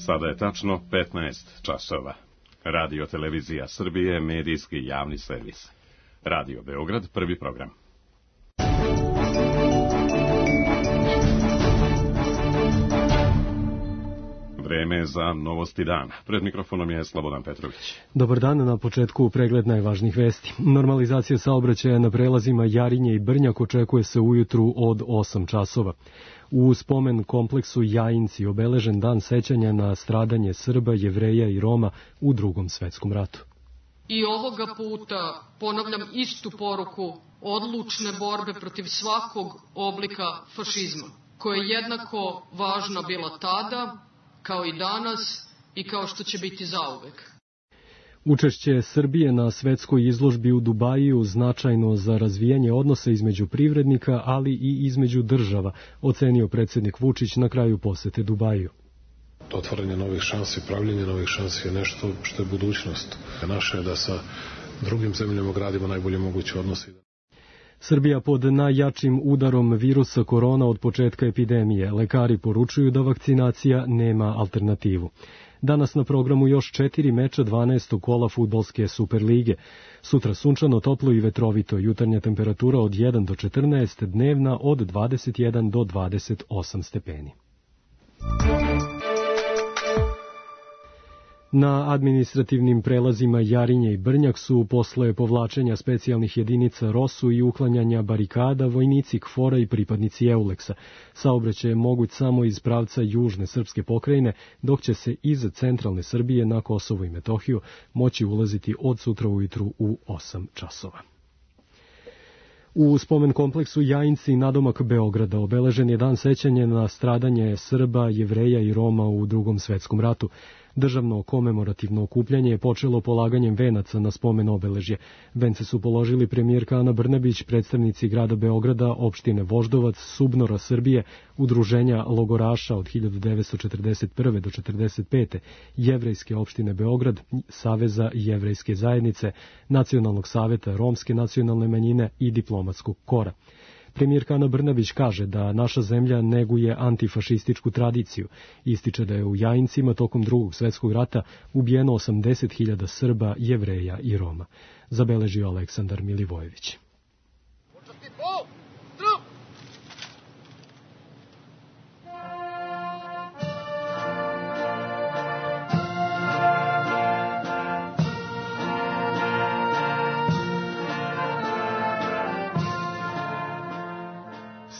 Sada je tačno 15 časova. Radio Televizija Srbije, medijski javni servis. Radio Beograd, prvi program. Vreme za novosti dana. Pred mikrofonom je Slobodan Petrović. Dobar dan, na početku pregled najvažnijih vesti. Normalizacija saobraćaja na prelazima Jarinje i Brnjak očekuje se ujutru od 8 časova. U spomen kompleksu Jajinci obeležen dan sećanja na stradanje Srba, Jevreja i Roma u Drugom svetskom ratu. I ovoga puta ponavljam istu poruku odlučne borbe protiv svakog oblika fašizma, koja je jednako važna bila tada, kao i danas i kao što će biti zauvek. Učešće Srbije na svetskoj izložbi u Dubaju značajno za razvijanje odnosa između privrednika, ali i između država, ocenio predsjednik Vučić na kraju posete Dubaju. Otvaranje novih šansi, pravljenje novih šansi je nešto što je budućnost. Naše je da sa drugim zemljama gradimo najbolje moguće odnose. Srbija pod najjačim udarom virusa korona od početka epidemije. Lekari poručuju da vakcinacija nema alternativu. Danas na programu još 4 meča 12. kola fudbalske Superlige. Sutra sunčano, toplo i vetrovito. Jutarnja temperatura od 1 do 14, dnevna od 21 do 28 stepeni. Na administrativnim prelazima Jarinje i Brnjak su posle povlačenja specijalnih jedinica ROSU i uklanjanja barikada vojnici KFOR-a i pripadnici EULEX-a. Saobraćaj je moguć samo iz pravca južne srpske pokrajine, dok će se iz centralne Srbije na Kosovo i Metohiju moći ulaziti od sutra ujutru u 8 časova. U spomen kompleksu Jajinci nadomak Beograda obeležen je dan sećanja na stradanje Srba, Jevreja i Roma u Drugom svetskom ratu. Državno komemorativno okupljanje je počelo polaganjem venaca na spomen obeležje. Vence su položili premijerka Ana Brnabić, predstavnici grada Beograda, opštine Voždovac, Subnora Srbije, udruženja logoraša od 1941. do 1945. Jevrejske opštine Beograd, Saveza jevrejske zajednice, Nacionalnog saveta romske nacionalne manjine i diplomatskog kora. Premijerka Ana Brnabić kaže da naša zemlja neguje antifašističku tradiciju. Ističe da je u Jajincima tokom Drugog svjetskog rata ubijeno 80.000 Srba, Jevreja i Roma. Zabeležio Aleksandar Milivojević.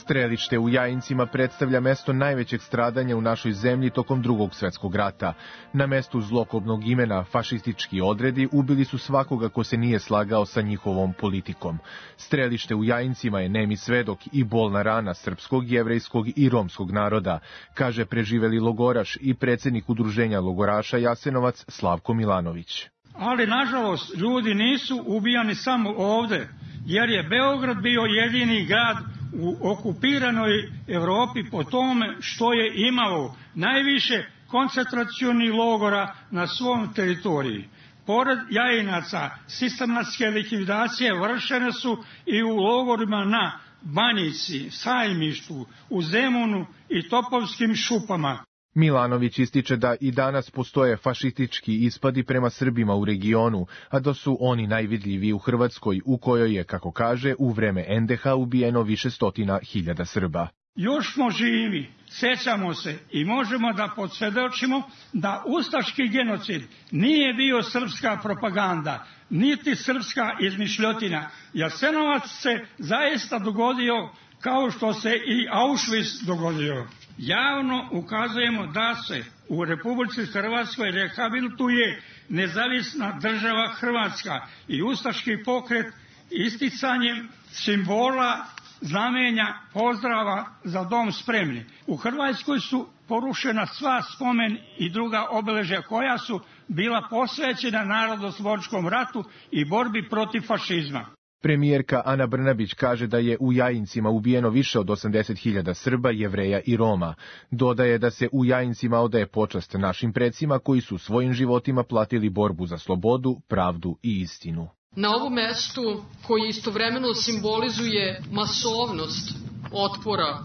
Strelište u Jajincima predstavlja mesto najvećeg stradanja u našoj zemlji tokom Drugog svjetskog rata. Na mestu zlokobnog imena fašistički odredi ubili su svakoga ko se nije slagao sa njihovom politikom. Strelište u Jajincima je nemi svedok i bolna rana srpskog, jevrejskog i romskog naroda, kaže preživeli logoraš i predsjednik udruženja logoraša Jasenovac Slavko Milanović. Ali, nažalost, ljudi nisu ubijani samo ovde, jer je Beograd bio jedini grad u okupiranoj Evropi po tome što je imao najviše koncentracionih logora na svom teritoriji. Pored Jajinaca, sistematske likvidacije vršene su i u logorima na Banjici, Sajmištu, u Zemunu i Topovskim šupama. Milanović ističe da i danas postoje fašistički ispadi prema Srbima u regionu, a da su oni najvidljiviji u Hrvatskoj, u kojoj je, kako kaže, u vreme NDH ubijeno više stotina hiljada Srba. Još smo živi, sećamo se i možemo da podsvedočimo da ustaški genocid nije bio srpska propaganda, niti srpska izmišljotina. Jasenovac se zaista dogodio kao što se i Auschwitz dogodio. Javno ukazujemo da se u Republici Hrvatskoj rehabilituje nezavisna država Hrvatska i ustaški pokret isticanjem simbola, znamenja, pozdrava za dom spremni. U Hrvatskoj su porušena sva spomen i druga obeležja koja su bila posvećena narodnooslobodilačkom ratu i borbi protiv fašizma. Premijerka Ana Brnabić kaže da je u Jajincima ubijeno više od 80.000 Srba, Jevreja i Roma. Dodaje da se u Jajincima odaje počast našim predsima koji su svojim životima platili borbu za slobodu, pravdu i istinu. Na ovom mestu, koji istovremeno simbolizuje masovnost otpora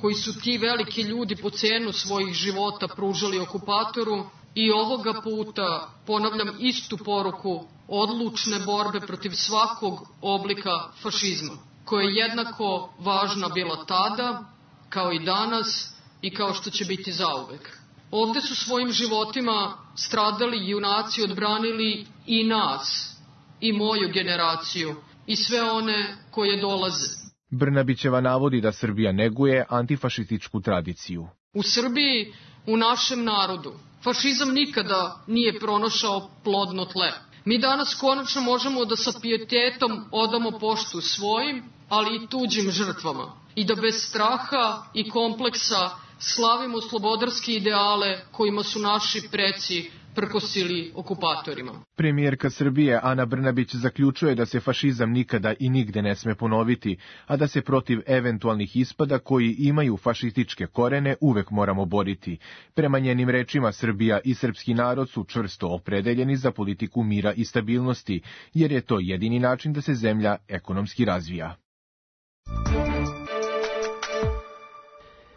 koji su ti veliki ljudi po cenu svojih života pružali okupatoru, i ovoga puta ponavljam istu poruku odlučne borbe protiv svakog oblika fašizma, koja je jednako važna bila tada, kao i danas i kao što će biti zauvek. Ovde su svojim životima stradali junaci, odbranili i nas, i moju generaciju, i sve one koje dolaze. Brnabićeva navodi da Srbija neguje antifašističku tradiciju. U Srbiji, u našem narodu, fašizam nikada nije pronašao plodno tle. Mi danas konačno možemo da sa pijetetom odamo poštu svojim, ali i tuđim žrtvama. I da bez straha i kompleksa slavimo slobodarske ideale kojima su naši preci prkosili okupatorima. Premijerka Srbije Ana Brnabić zaključuje da se fašizam nikada i nigde ne sme ponoviti, a da se protiv eventualnih ispada koji imaju fašističke korene uvek moramo boriti. Prema njenim rečima, Srbija i srpski narod su čvrsto opredeljeni za politiku mira i stabilnosti, jer je to jedini način da se zemlja ekonomski razvija.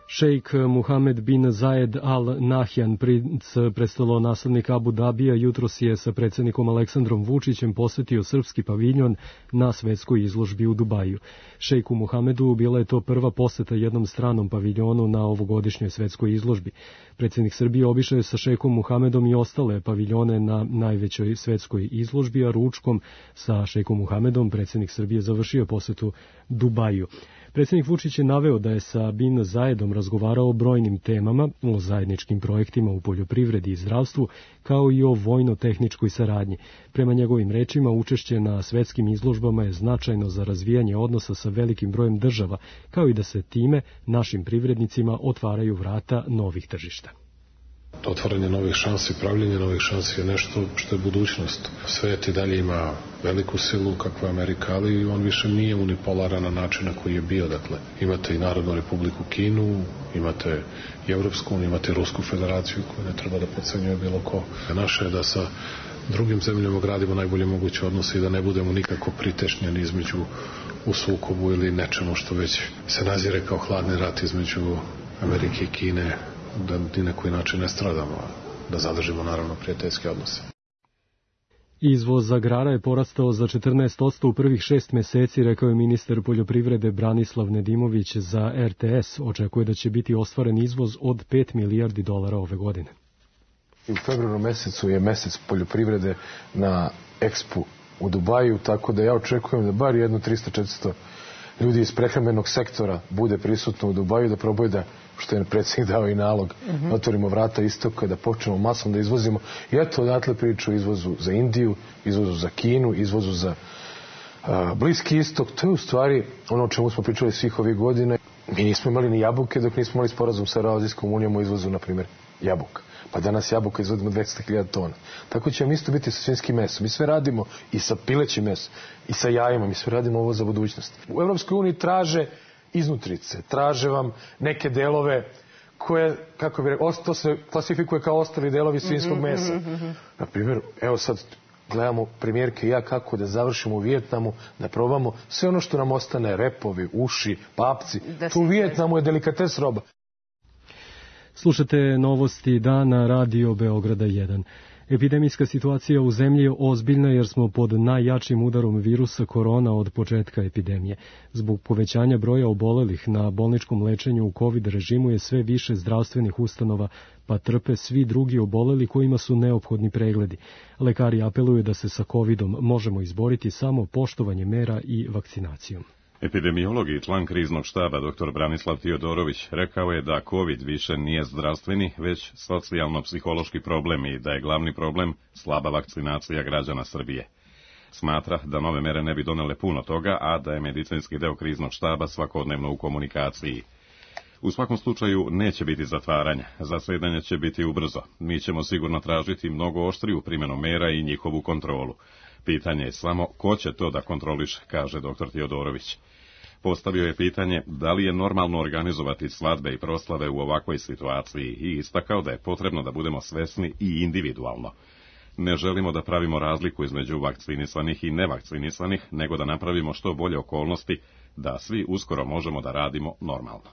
Šejk Muhamed bin Zayed Al Nahyan, princ prestolonaslednik Abu Dabija, jutros je sa predsjednikom Aleksandrom Vučićem posetio srpski paviljon na svetskoj izložbi u Dubaju. Šejku Muhamedu bila je to prva poseta jednom stranom paviljonu na ovogodišnjoj svetskoj izložbi. Predsjednik Srbije obišao je sa šejkom Muhamedom i ostale paviljone na najvećoj svetskoj izložbi, a ručkom sa šejkom Muhamedom predsjednik Srbije završio posetu Dubaju. Predsjednik Vučić je naveo da je sa bin Zayedom razgovarao o brojnim temama, o zajedničkim projektima u poljoprivredi i zdravstvu, kao i o vojno-tehničkoj saradnji. Prema njegovim rečima, učešće na svetskim izložbama je značajno za razvijanje odnosa sa velikim brojem država, kao i da se time našim privrednicima otvaraju vrata novih tržišta. Otvaranje novih šansi, pravljenje novih šansi je nešto što je budućnost. Svet i dalje ima veliku silu kakva je Amerika, ali on više nije unipolaran na način na koji je bio. Dakle, imate i Narodnu republiku Kinu, imate i Evropsku uniju, imate i Rusku federaciju koju ne treba da podcenjuje bilo ko. Naše je da sa drugim zemljama gradimo najbolje moguće odnose i da ne budemo nikako pritešnjeni između u sukobu ili nečemu što već se nazire kao hladni rat između Amerike i Kine, da ni na koji način ne stradamo, da zadržimo naravno prijateljske odnose. Izvoz agrara je porastao za 14% u prvih 6 meseci, rekao je ministar poljoprivrede Branislav Nedimović za RTS. Očekuje da će biti ostvaren izvoz od 5 milijardi dolara ove godine. U februaru mesecu je mesec poljoprivrede na Expu u Dubaju, tako da ja očekujem da bar jedno 300-400 ljudi iz prehrambenog sektora bude prisutno u Dubaju, da probaju da, što je predsjednik dao i nalog, otvorimo vrata istoka, da počnemo masom da izvozimo. I eto, odatle priču o izvozu za Indiju, izvozu za Kinu, izvozu za Bliski istok. To je u stvari ono o čemu smo pričali svih ovih godina. Mi nismo imali ni jabuke dok nismo imali sporazum sa Evroazijskom unijom o izvozu, na primjer, jabuka. Pa danas jabuka izvodimo 200.000 tona. Tako će vam isto biti sa svinjskim mesom. Mi sve radimo i sa pilećim mesom, i sa jajima. Mi sve radimo ovo za budućnost. U Evropskoj uniji traže iznutrice, traže vam neke delove koje, kako bi rekao, to se klasifikuje kao ostali delovi svinjskog mesa. Na primjer, evo sad gledamo premijerke i ja kako da završimo u Vijetnamu, da probamo sve ono što nam ostane, repovi, uši, papci. U Vijetnamu je delikates roba. Slušate novosti dana Radio Beograda 1. Epidemijska situacija u zemlji je ozbiljna jer smo pod najjačim udarom virusa korona od početka epidemije. Zbog povećanja broja obolelih na bolničkom lečenju u COVID režimu je sve više zdravstvenih ustanova, pa trpe svi drugi oboleli kojima su neophodni pregledi. Lekari apeluju da se sa COVIDom možemo izboriti samo poštovanjem mera i vakcinacijom. Epidemiolog i član kriznog štaba dr. Branislav Tiodorović rekao je da COVID više nije zdravstveni, već socijalno-psihološki problem i da je glavni problem slaba vakcinacija građana Srbije. Smatra da nove mere ne bi donele puno toga, a da je medicinski deo kriznog štaba svakodnevno u komunikaciji. U svakom slučaju neće biti zatvaranja, zasedanje će biti ubrzo. Mi ćemo sigurno tražiti mnogo oštriju primjenu mera i njihovu kontrolu. Pitanje je samo ko će to da kontroliše, kaže dr. Tiodorović. Postavio je pitanje da li je normalno organizovati svadbe i proslave u ovakvoj situaciji i istakao da je potrebno da budemo svesni i individualno. Ne želimo da pravimo razliku između vakcinisanih i nevakcinisanih, nego da napravimo što bolje okolnosti da svi uskoro možemo da radimo normalno.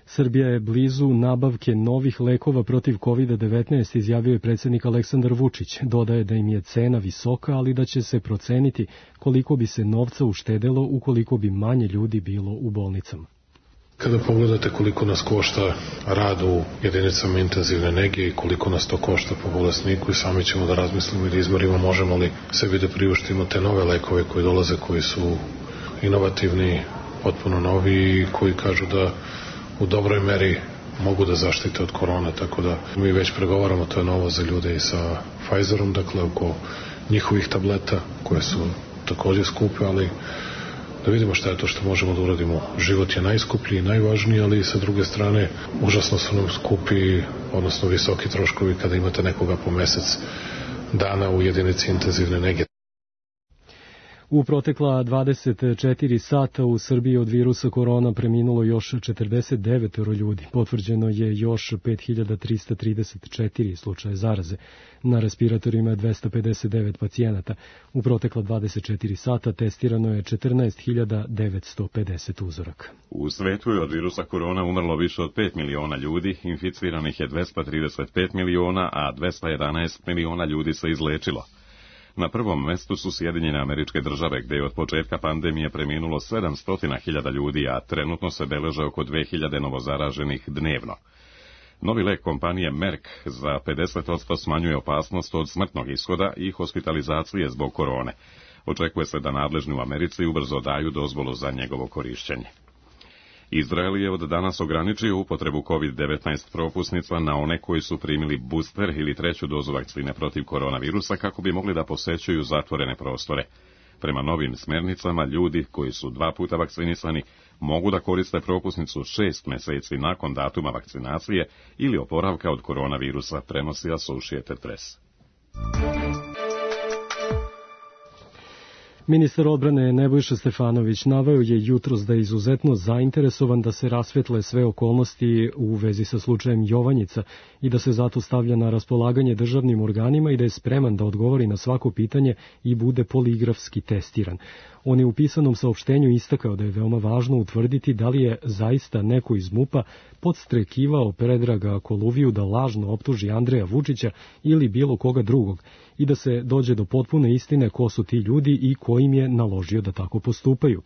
Srbija je blizu nabavke novih lekova protiv COVID-19, izjavio je predsjednik Aleksandar Vučić. Dodaje da im je cena visoka, ali da će se proceniti koliko bi se novca uštedelo ukoliko bi manje ljudi bilo u bolnicama. Kada pogledate koliko nas košta rad u jedinicama intenzivne nege i koliko nas to košta po bolesniku, i sami ćemo da razmislimo i da izmerimo možemo li sebi da priuštimo te nove lekove koji dolaze, koji su inovativni, potpuno novi i koji kažu da u dobroj meri mogu da zaštite od korona, tako da mi već pregovaramo, to je novo za ljude i sa Pfizerom, dakle oko njihovih tableta koje su takođe skupe, ali da vidimo šta je to što možemo da uradimo. Život je najskuplji i najvažniji, ali sa druge strane užasno su nam skupi, odnosno visoki troškovi kada imate nekoga po mesec dana u jedinici intenzivne nege. U protekla 24 sata u Srbiji od virusa korona preminulo još 49 ljudi. Potvrđeno je još 5334 slučaje zaraze. Na respiratorima je 259 pacijenata. U protekla 24 sata testirano je 14.950 uzoraka. U svetu je od virusa korona umrlo više od 5 miliona ljudi, inficiranih je 235 miliona, a 211 miliona ljudi se izlečilo. Na prvom mestu su Sjedinjene Američke Države, gde je od početka pandemije preminulo 700.000 ljudi, a trenutno se beleže oko 2000 novozaraženih dnevno. Novi lek kompanije Merck za 50% smanjuje opasnost od smrtnog ishoda i hospitalizacije zbog korone. Očekuje se da nadležni u Americi ubrzo daju dozvolu za njegovo korišćenje. Izrael je od danas ograničio upotrebu COVID-19 propusnica na one koji su primili booster ili treću dozu vakcine protiv koronavirusa kako bi mogli da posećuju zatvorene prostore. Prema novim smernicama, ljudi koji su 2 puta vakcinisani mogu da koriste propusnicu 6 meseci nakon datuma vakcinacije ili oporavka od koronavirusa, prenosi Associated Press. Ministar odbrane Nebojša Stefanović naveo je jutros da je izuzetno zainteresovan da se rasvetle sve okolnosti u vezi sa slučajem Jovanjica i da se zato stavlja na raspolaganje državnim organima i da je spreman da odgovori na svako pitanje i bude poligrafski testiran. On je u pisanom saopštenju istakao da je veoma važno utvrditi da li je zaista neko iz MUP-a podstrekivao Predraga Koluviju da lažno optuži Andreja Vučića ili bilo koga drugog i da se dođe do potpune istine ko su ti ljudi i ko im je naložio da tako postupaju.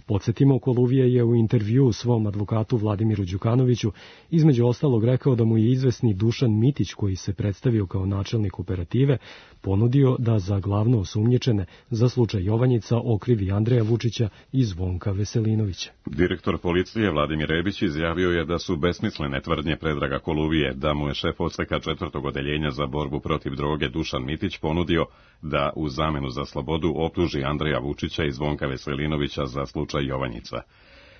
Podsjetimo, Koluvija je u intervjuu svom advokatu Vladimiru Đukanoviću između ostalog rekao da mu je izvesni Dušan Mitić, koji se predstavio kao načelnik operative, ponudio da za glavno osumnjičene za slučaj Jovanjica okrivi Andreja Vučića i Zvonka Veselinovića. Direktor policije Vladimir Rebić izjavio je da su besmislene tvrdnje Predraga Koluvije da mu je šef odseka 4. odeljenja za borbu protiv droge Dušan Mitić ponudio da u zamenu za slobodu optuži Andreja Vučića i Zvonka Veselinovića za slučaj Jovanjica.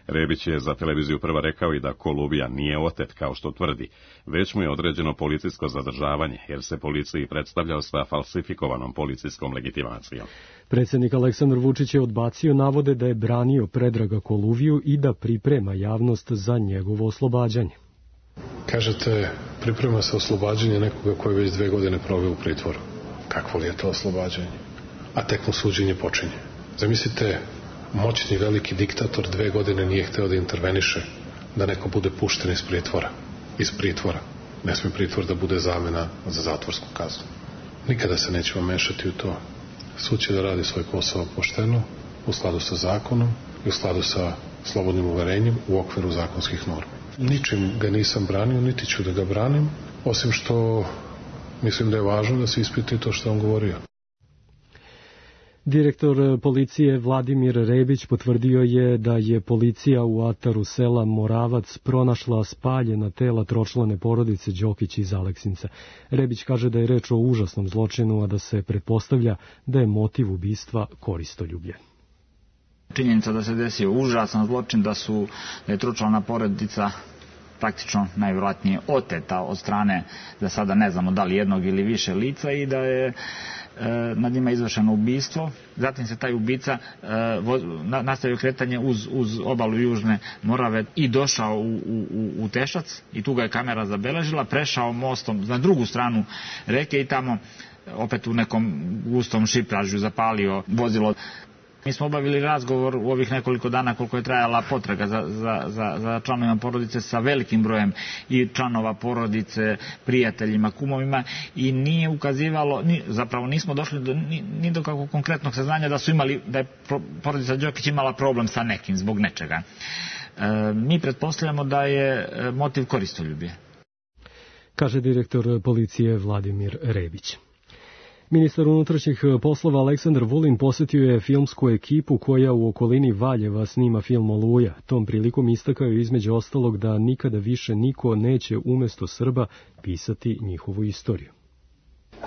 Rebić je za televiziju Prva rekao i da Koluvija nije otet kao što tvrdi, već mu je određeno policijsko zadržavanje, jer se policiji predstavljao sa falsifikovanom policijskom legitimacijom. Predsjednik Aleksandar Vučić je odbacio navode da je branio Predraga Koluviju i da priprema javnost za njegovo oslobađanje. Kažete, priprema se oslobađanje nekoga koji već 2 godine proveo u pritvoru. Kakvo li je to oslobađanje? A tek mu suđenje počinje. Zamislite, moćni veliki diktator 2 godine nije hteo da interveniše, da neko bude pušten iz pritvora. Iz pritvora. Ne sme pritvor da bude zamena za zatvorsku kaznu. Nikada se nećemo mešati u to. Sud će da radi svoj posao pošteno, u skladu sa zakonom i u skladu sa slobodnim uverenjem u okviru zakonskih normi. Ničim ga nisam branio, niti ću da ga branim, osim što mislim da je važno da se ispita to što on govorio. Direktor policije Vladimir Rebić potvrdio je da je policija u ataru sela Moravac pronašla spaljena tela tročlane porodice Đokić iz Aleksinca. Rebić kaže da je reč o užasnom zločinu, a da se pretpostavlja da je motiv ubistva koristoljublje. Činjenica da se desio užasan zločin, da je tročlana porodica praktično najvjerojatnije oteta od strane, da sada ne znamo da li jednog ili više lica, i da je nad njima izvršeno ubistvo. Zatim se taj ubica nastavio kretanje uz obalu Južne Morave i došao u Tešac, i tu ga je kamera zabeležila, prešao mostom na drugu stranu reke i tamo opet u nekom gustom šipražju zapalio vozilo. Mi smo obavili razgovor u ovih nekoliko dana koliko je trajala potraga za članovima porodice sa velikim brojem i članova porodice, prijateljima, kumovima i nije ukazivalo, zapravo nismo došli ni do kakvog konkretnog saznanja da je porodica Đokić imala problem sa nekim zbog nečega. Mi pretpostavljamo da je motiv koristoljublje. Kaže direktor policije Vladimir Rebić. Ministar unutrašnjih poslova Aleksandar Vulin posetio je filmsku ekipu koja u okolini Valjeva snima film Oluja. Tom prilikom istakao je između ostalog da nikada više niko neće umesto Srba pisati njihovu istoriju.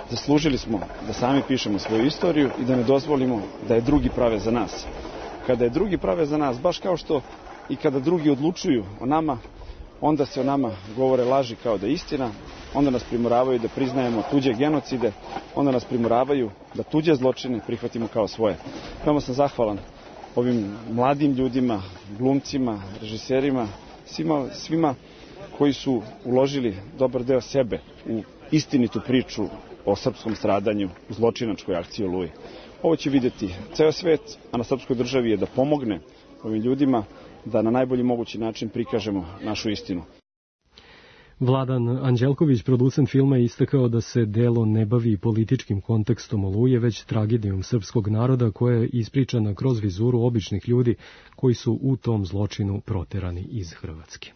Zaslužili smo da sami pišemo svoju istoriju i da ne dozvolimo da je drugi prave za nas. Kada je drugi prave za nas, baš kao što i kada drugi odlučuju o nama, onda se o nama govore laži kao da je istina, onda nas primoravaju da priznajemo tuđe genocide, onda nas primoravaju da tuđe zločine prihvatimo kao svoje. Veoma sam zahvalan ovim mladim ljudima, glumcima, režiserima, svima koji su uložili dobar deo sebe u istinitu priču o srpskom stradanju u zločinačkoj akciji Oluji. Ovo će vidjeti ceo svet, a na srpskoj državi je da pomogne ovim ljudima da na najbolji mogući način prikažemo našu istinu. Vladan Anđelković, producent filma, je istakao da se delo ne bavi političkim kontekstom Oluje, već tragedijom srpskog naroda koja je ispričana kroz vizuru običnih ljudi koji su u tom zločinu proterani iz Hrvatske.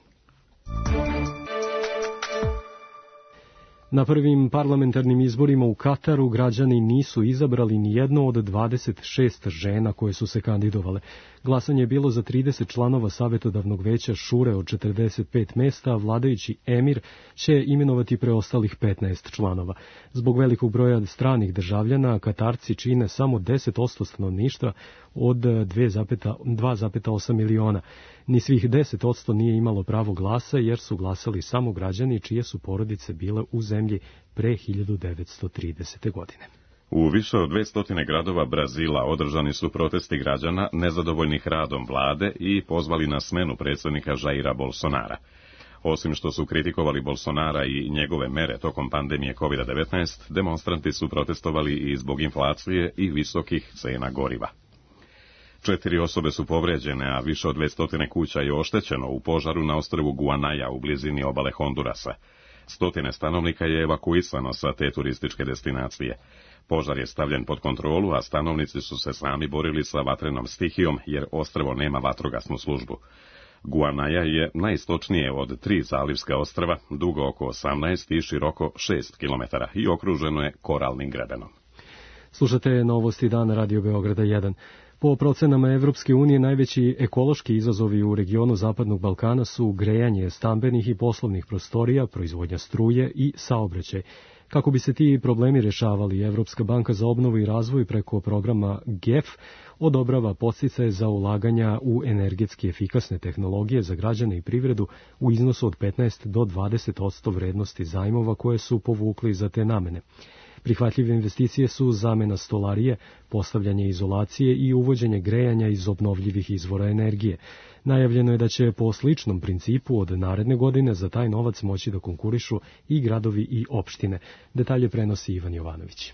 Na prvim parlamentarnim izborima u Kataru građani nisu izabrali ni jedno od 26 žena koje su se kandidovale. Glasanje je bilo za 30 članova savjetodavnog veća šure od 45 mesta, a vladajući emir će imenovati preostalih 15 članova. Zbog velikog broja stranih državljana, Katarci čine samo 10% stanovništva od 2,8 miliona. Ni svih 10% nije imalo pravo glasa jer su glasali samo građani čije su porodice bile u zemlji pre 1930. godine. U više od 200 gradova Brazila održani su protesti građana nezadovoljnih radom vlade i pozvali na smenu predsjednika Jaira Bolsonara. Osim što su kritikovali Bolsonara i njegove mere tokom pandemije COVID-19, demonstranti su protestovali i zbog inflacije i visokih cena goriva. 4 osobe su povređene, a više od 200 kuća je oštećeno u požaru na ostrvu Guanaja u blizini obale Hondurasa. 100 stanovnika je evakuisano sa te turističke destinacije. Požar je stavljen pod kontrolu, a stanovnici su se sami borili sa vatrenom stihijom jer ostrvo nema vatrogasnu službu. Guanaja je najistočnije od 3 zalivska ostrva, dugo oko 18 i široko 6 km i okruženo je koralnim grebenom. Slušate Novosti dana Radio Beograda 1. Po procenama Evropske unije najveći ekološki izazovi u regionu Zapadnog Balkana su grejanje stambenih i poslovnih prostorija, proizvodnja struje i saobraćaj. Kako bi se ti problemi rešavali, Evropska banka za obnovu i razvoj preko programa GEF odobrava podsticaje za ulaganja u energetski efikasne tehnologije za građane i privredu u iznosu od 15 do 20% vrednosti zajmova koje su povukli za te namene. Prihvatljive investicije su zamena stolarije, postavljanje izolacije i uvođenje grejanja iz obnovljivih izvora energije. Najavljeno je da će po sličnom principu od naredne godine za taj novac moći da konkurišu i gradovi i opštine. Detalje prenosi Ivan Jovanović.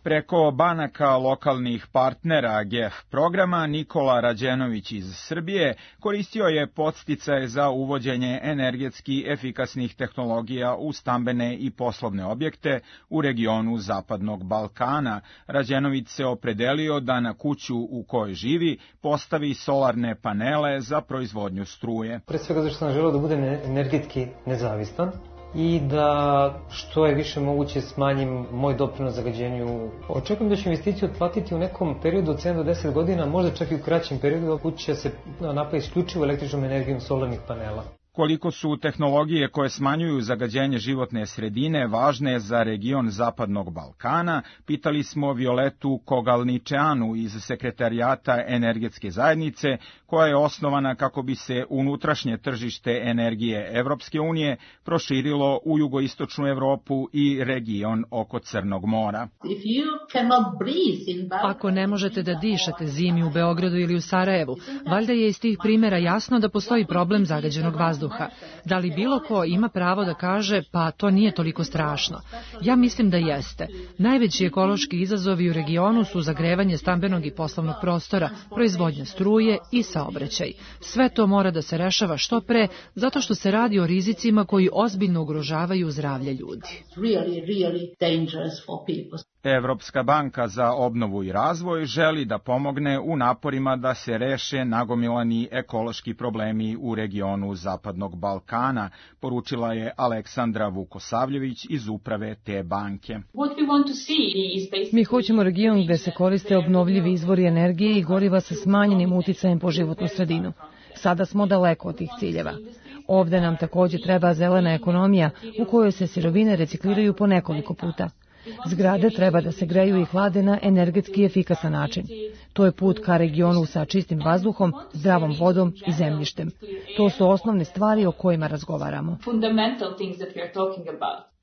Preko banaka lokalnih partnera GEF programa Nikola Rađenović iz Srbije koristio je podsticaje za uvođenje energetski efikasnih tehnologija u stambene i poslovne objekte u regionu Zapadnog Balkana. Rađenović se opredelio da na kuću u kojoj živi postavi solarne panele za proizvodnju struje. Pre svega zašto sam želeo da budem energetski nezavistan i da što je više moguće smanjim moj doprinos zagađenju. Očekujem da ću investiciju otplatiti u nekom periodu od 7 do 10 godina, možda čak i u kraćem periodu, kuća će se napravi isključivo električnom energijom solarnih panela. Koliko su tehnologije koje smanjuju zagađenje životne sredine važne za region Zapadnog Balkana, pitali smo Violetu Kogalničeanu iz Sekretarijata energetske zajednice, koja je osnovana kako bi se unutrašnje tržište energije Evropske unije proširilo u jugoistočnu Evropu i region oko Crnog mora. Ako ne možete da dišete zimi u Beogradu ili u Sarajevu, valjda je iz tih primjera jasno da postoji problem zagađenog vazduha. vazduha. Da li bilo ko ima pravo da kaže pa to nije toliko strašno? Ja mislim da jeste. Najveći ekološki izazovi u regionu su zagrevanje stambenog i poslovnog prostora, proizvodnja struje i saobraćaj. Sve to mora da se rešava što pre, zato što se radi o rizicima koji ozbiljno ugrožavaju zdravlje ljudi. Evropska banka za obnovu i razvoj želi da pomogne u naporima da se reše nagomilani ekološki problemi u regionu Zapadnog Balkana, poručila je Aleksandra Vukosavljević iz uprave te banke. Mi hoćemo region gde se koriste obnovljivi izvori energije i goriva sa smanjenim uticajem po životnu sredinu. Sada smo daleko od tih ciljeva. Ovde nam takođe treba zelena ekonomija u kojoj se sirovine recikliraju po nekoliko puta. Zgrade treba da se greju i hlade na energetski efikasan način. To je put ka regionu sa čistim vazduhom, zdravom vodom i zemljištem. To su osnovne stvari o kojima razgovaramo.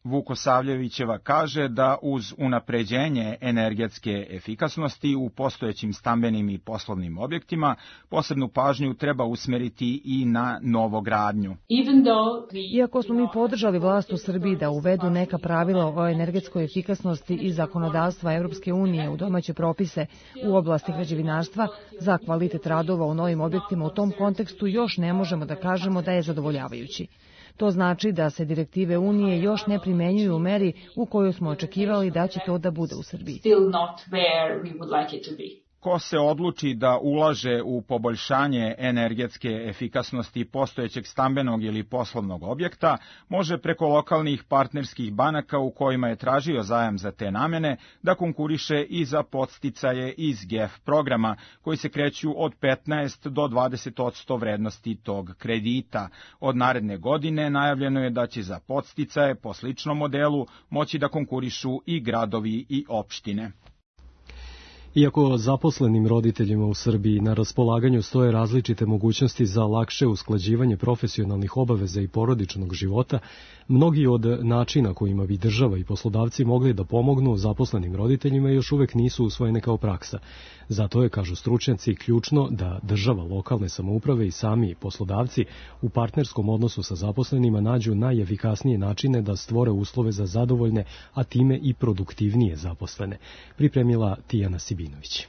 Vukosavljevićeva kaže da uz unapređenje energetske efikasnosti u postojećim stambenim i poslovnim objektima posebnu pažnju treba usmeriti i na novogradnju. Iako smo mi podržali vlast u Srbiji da uvedu neka pravila o energetskoj efikasnosti i zakonodavstva Evropske unije u domaće propise u oblasti građevinarstva za kvalitet radova u novim objektima, u tom kontekstu još ne možemo da kažemo da je zadovoljavajući. To znači da se direktive Unije još ne primenjuju u meri u kojoj smo očekivali da će to da bude u Srbiji. Ko se odluči da ulaže u poboljšanje energetske efikasnosti postojećeg stambenog ili poslovnog objekta, može preko lokalnih partnerskih banaka u kojima je tražio zajam za te namene da konkuriše i za podsticaje iz GEF programa, koji se kreću od 15 do 20% vrednosti tog kredita. Od naredne godine najavljeno je da će za podsticaje po sličnom modelu moći da konkurišu i gradovi i opštine. Iako zaposlenim roditeljima u Srbiji na raspolaganju stoje različite mogućnosti za lakše usklađivanje profesionalnih obaveza i porodičnog života, mnogi od načina kojima bi država i poslodavci mogli da pomognu zaposlenim roditeljima još uvek nisu usvojene kao praksa. Zato je, kažu stručnjaci, ključno da država, lokalne samouprave i sami poslodavci u partnerskom odnosu sa zaposlenima nađu najefikasnije načine da stvore uslove za zadovoljne, a time i produktivnije zaposlene. Pripremila Tijana Sibinović.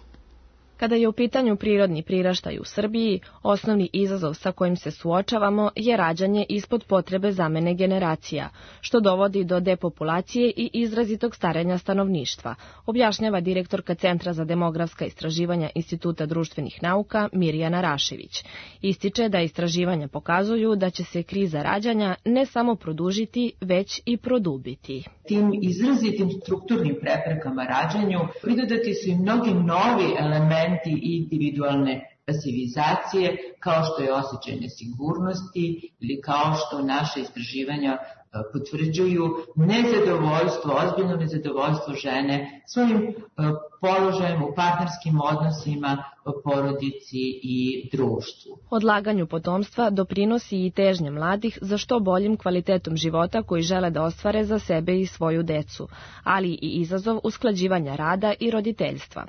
Kada je u pitanju prirodni priraštaj u Srbiji, osnovni izazov sa kojim se suočavamo je rađanje ispod potrebe zamene generacija, što dovodi do depopulacije i izrazitog starenja stanovništva, objašnjava direktorka Centra za demografska istraživanja Instituta društvenih nauka Mirjana Rašević. Ističe da istraživanja pokazuju da će se kriza rađanja ne samo produžiti, već i produbiti. Tim izrazitim strukturnim preprekama rađanju pridodati su i mnogi novi elementi i individualne pasivizacije, kao što je osjećaj nesigurnosti ili kao što naše istraživanja potvrđuju nezadovoljstvo, ozbiljno nezadovoljstvo žene svojim položajem u partnerskim odnosima, porodici i društvu. Odlaganju potomstva doprinosi i težnje mladih za što boljim kvalitetom života koji žele da ostvare za sebe i svoju decu, ali i izazov usklađivanja rada i roditeljstva.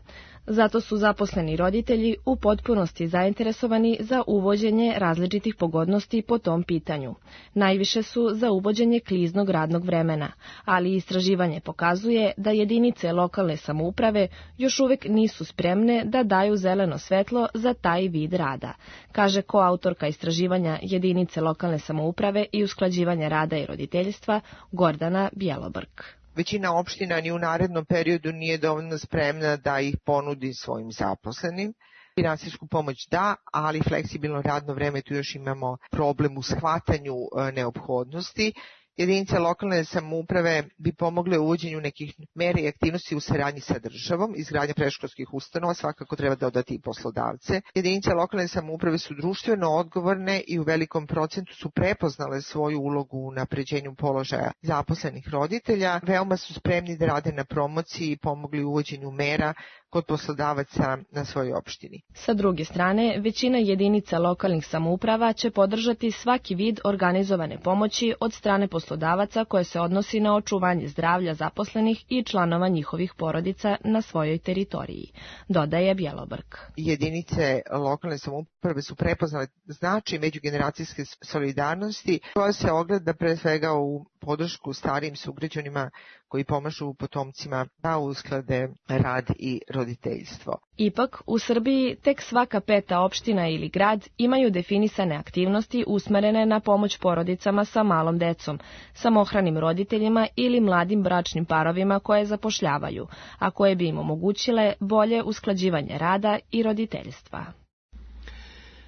Zato su zaposleni roditelji u potpunosti zainteresovani za uvođenje različitih pogodnosti po tom pitanju. Najviše su za uvođenje kliznog radnog vremena, ali istraživanje pokazuje da jedinice lokalne samouprave još uvek nisu spremne da daju zeleno svetlo za taj vid rada, kaže koautorka istraživanja jedinice lokalne samouprave i usklađivanja rada i roditeljstva Gordana Bjelobrk. Većina opština ni u narednom periodu nije dovoljno spremna da ih ponudi svojim zaposlenim. Finansijsku pomoć da, ali fleksibilno radno vreme, tu još imamo problem u shvatanju neophodnosti. Jedinice lokalne samouprave bi pomogle u uvođenju nekih mera i aktivnosti u saradnji sa državom, izgradnja predškolskih ustanova, svakako treba dodati i poslodavce. Jedinice lokalne samouprave su društveno odgovorne i u velikom procentu su prepoznale svoju ulogu u unapređenju položaja zaposlenih roditelja. Veoma su spremni da rade na promociji i pomogli u uvođenju mera kod poslodavaca na svojoj opštini. Sa druge strane, većina jedinica lokalnih samouprava će podržati svaki vid organizovane pomoći od strane poslodavaca koje se odnosi na očuvanje zdravlja zaposlenih i članova njihovih porodica na svojoj teritoriji, dodaje Bjelobrk. Jedinice lokalne samouprave su prepoznale značaj međugeneracijske solidarnosti, koja se ogleda pre svega u podršku starijim sugrađanima koji pomažu potomcima da usklade rad i roditeljstvo. Ipak, u Srbiji tek svaka 5. opština ili grad imaju definisane aktivnosti usmerene na pomoć porodicama sa malom decom, samohranim roditeljima ili mladim bračnim parovima koje zapošljavaju, a koje bi im omogućile bolje usklađivanje rada i roditeljstva.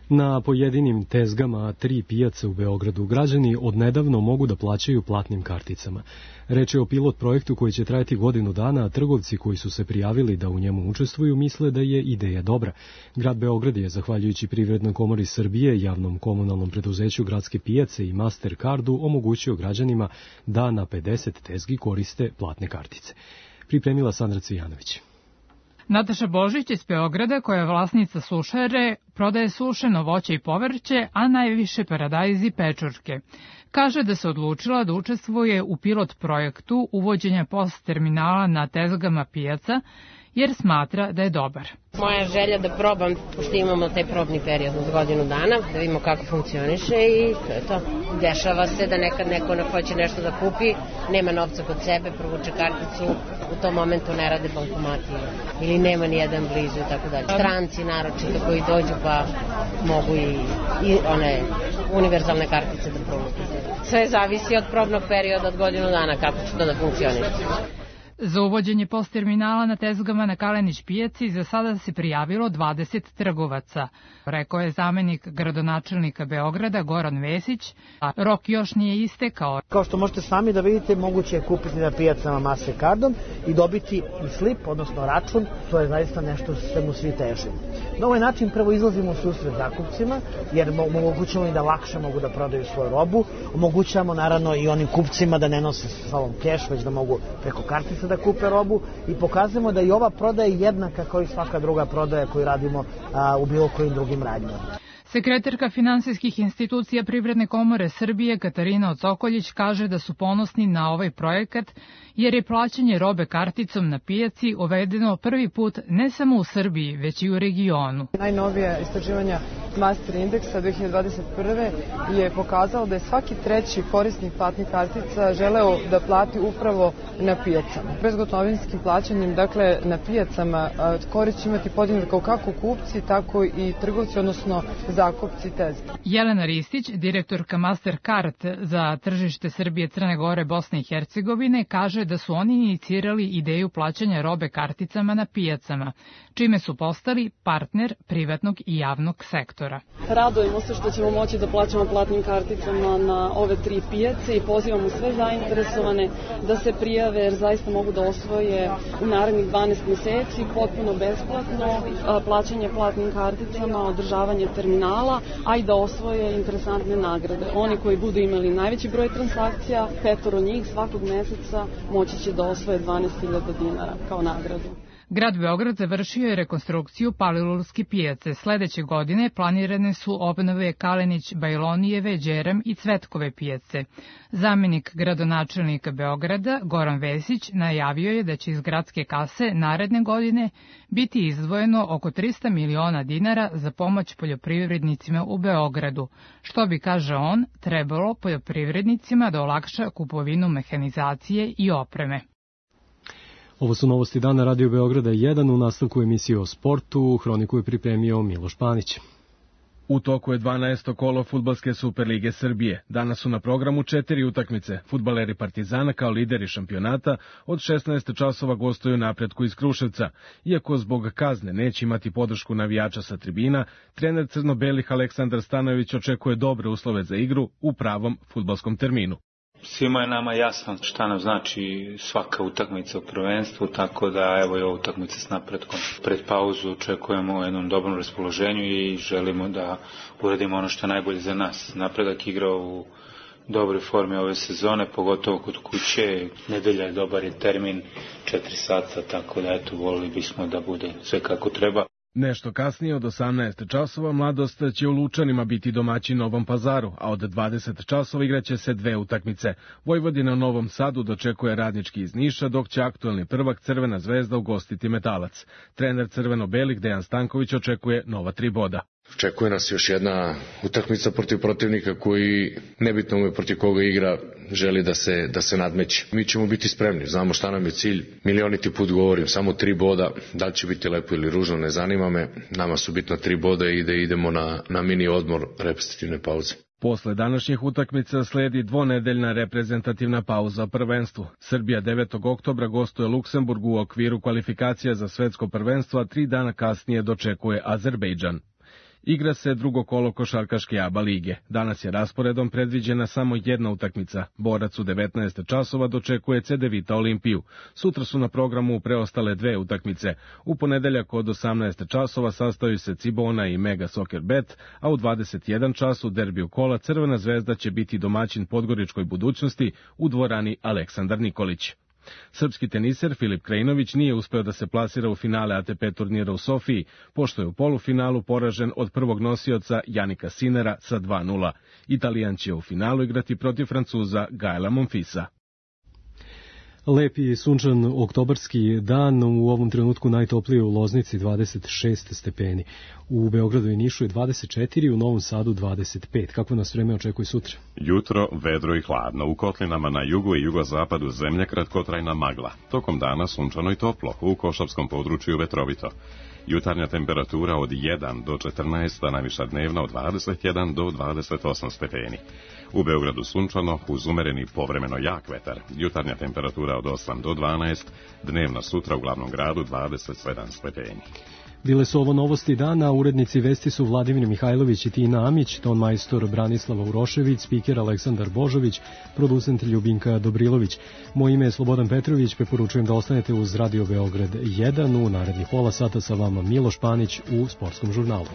Na pojedinim tezgama 3 pijace u Beogradu građani odnedavno mogu da plaćaju platnim karticama. Reč je o pilot projektu koji će trajati godinu dana, a trgovci koji su se prijavili da u njemu učestvuju misle da je ideja dobra. Grad Beograd je, zahvaljujući Privrednoj komori Srbije, javnom komunalnom preduzeću Gradske pijace i Mastercardu, omogućio građanima da na 50 tezgi koriste platne kartice. Pripremila Sandra Cvijanović. Nataša Božić iz Beograda, koja je vlasnica sušare, prodaje sušeno voće i povrće, a najviše paradajz i pečurke. Kaže da se odlučila da učestvuje u pilot projektu uvođenja POS terminala na tezgama pijaca, jer smatra da je dobar. Moja želja da probam, pošto imamo taj probni period od godinu dana, da vidimo kako funkcioniše i to je to. Dešava se da nekad neko hoće nešto da kupi, nema novca kod sebe, provuče karticu, u tom momentu ne rade bankomati ili nema ni jedan blizu i tako dalje. Stranci naročito koji dođu pa mogu i one univerzalne kartice da provuče. Sve zavisi od probnog perioda od godinu dana kako će to da funkcioniše. Za uvođenje POS terminala na tezgama na Kalenić pijaci za sada se prijavilo 20 trgovaca, rekao je zamenik gradonačelnika Beograda Goran Vesić, a rok još nije istekao. Kao što možete sami da vidite, moguće je kupiti na pijacama Mastercardom i dobiti i slip, odnosno račun, to je zaista nešto što mu svi težimo. Na ovaj način prvo izlazimo u susret zakupcima, jer omogućamo im da lakše mogu da prodaju svoju robu, omogućavamo naravno i onim kupcima da ne nose sa sobom keš, već da mogu preko kartice da kupe robu i pokazujemo da i ova prodaja je jednaka kao i svaka druga prodaja koju radimo u bilo kojim drugim radnjama. Sekretarka finansijskih institucija Privredne komore Srbije Katarina Ocokoljić kaže da su ponosni na ovaj projekat jer je plaćanje robe karticom na pijaci uvedeno prvi put ne samo u Srbiji, već i u regionu. Najnovije istraživanja Master Indeksa 2021. je pokazalo da je svaki treći korisnik platnih kartica želeo da plati upravo na pijacama. Bezgotovinskim plaćanjem, dakle na pijacama, korist će imati podignut kao kako kupci, tako i trgovci, odnosno zakupci tezge. Jelena Ristić, direktorka Mastercard za tržište Srbije, Crne Gore, Bosne i Hercegovine, kaže da su oni inicirali ideju plaćanja robe karticama na pijacama, čime su postali partner privatnog i javnog sektora. Radujemo se što ćemo moći da plaćamo platnim karticama na ove 3 pijace i pozivamo sve zainteresovane da se prijave jer zaista mogu da osvoje u narednih 12 meseci potpuno besplatno plaćanje platnim karticama, održavanje terminala, a i da osvoje interesantne nagrade. Oni koji budu imali najveći broj transakcija, 5 njih svakog meseca moći će da osvoje 12.000 dinara kao nagradu. Grad Beograd završio je rekonstrukciju Palilulske pijace. Sledeće godine planirane su obnove Kalenić, Bajlonijeve, Đerem i Cvetkove pijace. Zamenik gradonačelnika Beograda, Goran Vesić, najavio je da će iz gradske kase naredne godine biti izdvojeno oko 300 miliona dinara za pomoć poljoprivrednicima u Beogradu, što bi, kaže on, trebalo poljoprivrednicima da olakša kupovinu mehanizacije i opreme. Ovo su novosti dana Radio Beograda 1, u nastavku emisije o sportu. Hroniku je pripremio Miloš Panić. U toku je 12. kolo Fudbalske Superlige Srbije. Danas su na programu 4 utakmice. Fudbaleri Partizana kao lideri šampionata od 16 časova gostuju Napretku iz Kruševca. Iako zbog kazne neće imati podršku navijača sa tribina, trener crno-belih Aleksandar Stanojević očekuje dobre uslove za igru u pravom fudbalskom terminu. Svima je nama jasno šta nam znači svaka utakmica u prvenstvu, tako da evo je ova utakmica s Napretkom. Pred pauzu očekujemo u jednom dobrom raspoloženju i želimo da uradimo ono što je najbolje za nas. Napredak igra u dobroj formi ove sezone, pogotovo kod kuće. Nedelja je dobar je termin, 4 sata, tako da eto, volili bismo da bude sve kako treba. Nešto kasnije od 18 časova Mladost će u Lučanima biti domaći Novom Pazaru, a od 20 časova igraće se 2 utakmice. Vojvodina u Novom Sadu dočekuje Radnički iz Niša, dok će aktuelni prvak Crvena Zvezda ugostiti Metalac. Trener crveno-belih Dejan Stanković očekuje nova 3 boda. Očekuje nas još jedna utakmica protiv protivnika koji, nebitno mu je protiv koga igra, želi da se nadmeće. Mi ćemo biti spremni, znamo šta nam je cilj. Milioniti put govorim, samo 3 boda, da li će biti lepo ili ružno, ne zanima me. Nama su bitno 3 boda i da idemo na mini odmor reprezentativne pauze. Posle današnjih utakmica sledi dvonedeljna reprezentativna pauza o prvenstvu. Srbija 9. oktobra gostuje Luksemburgu u okviru kvalifikacija za svetsko prvenstvo, a 3 dana kasnije dočekuje Azerbejdžan. Igra se drugo kolo košarkaške ABA lige. Danas je rasporedom predviđena samo jedna utakmica. Borac u 19 časova dočekuje Cedevita Olimpiju. Sutra su na programu preostale 2 utakmice. U ponedeljak od 18 časova sastaju se Cibona i Mega Soccer Bet, a u 21 času derbiju kola Crvena Zvezda će biti domaćin Podgoričkoj Budućnosti u dvorani Aleksandar Nikolić. Srpski teniser Filip Krajinović nije uspeo da se plasira u finale ATP turnira u Sofiji, pošto je u polufinalu poražen od prvog nosioca Janika Sinera sa 2:0. Italijan će u finalu igrati protiv Francuza Gaela Monfisa. Lepi i sunčan oktobarski dan, u ovom trenutku najtoplije u Loznici 26 stepeni. U Beogradu i Nišu je 24, u Novom Sadu 25. Kako nas vreme očekuje sutra? Jutro vedro i hladno. U kotlinama na jugu i jugozapadu zemlje kratkotrajna magla. Tokom dana sunčano i toplo, u Košavskom području vetrovito. Jutarnja temperatura od 1 do 14, a najviša dnevna od 21 do 28 stepeni. U Beogradu sunčano, uz umereni povremeno jak vetar. Jutarnja temperatura od 8 do 12, dnevna sutra u glavnom gradu 27 stepeni. Bile su ovo novosti dana, urednici vesti su Vladimir Mihajlović i Tina Amić, ton majstor Branislava Urošević, spiker Aleksandar Božović, producent Ljubinka Dobrilović. Moje ime je Slobodan Petrović, preporučujem da ostanete uz Radio Beograd 1, u narednih pola sata sa vama Miloš Panić u Sportskom žurnalu.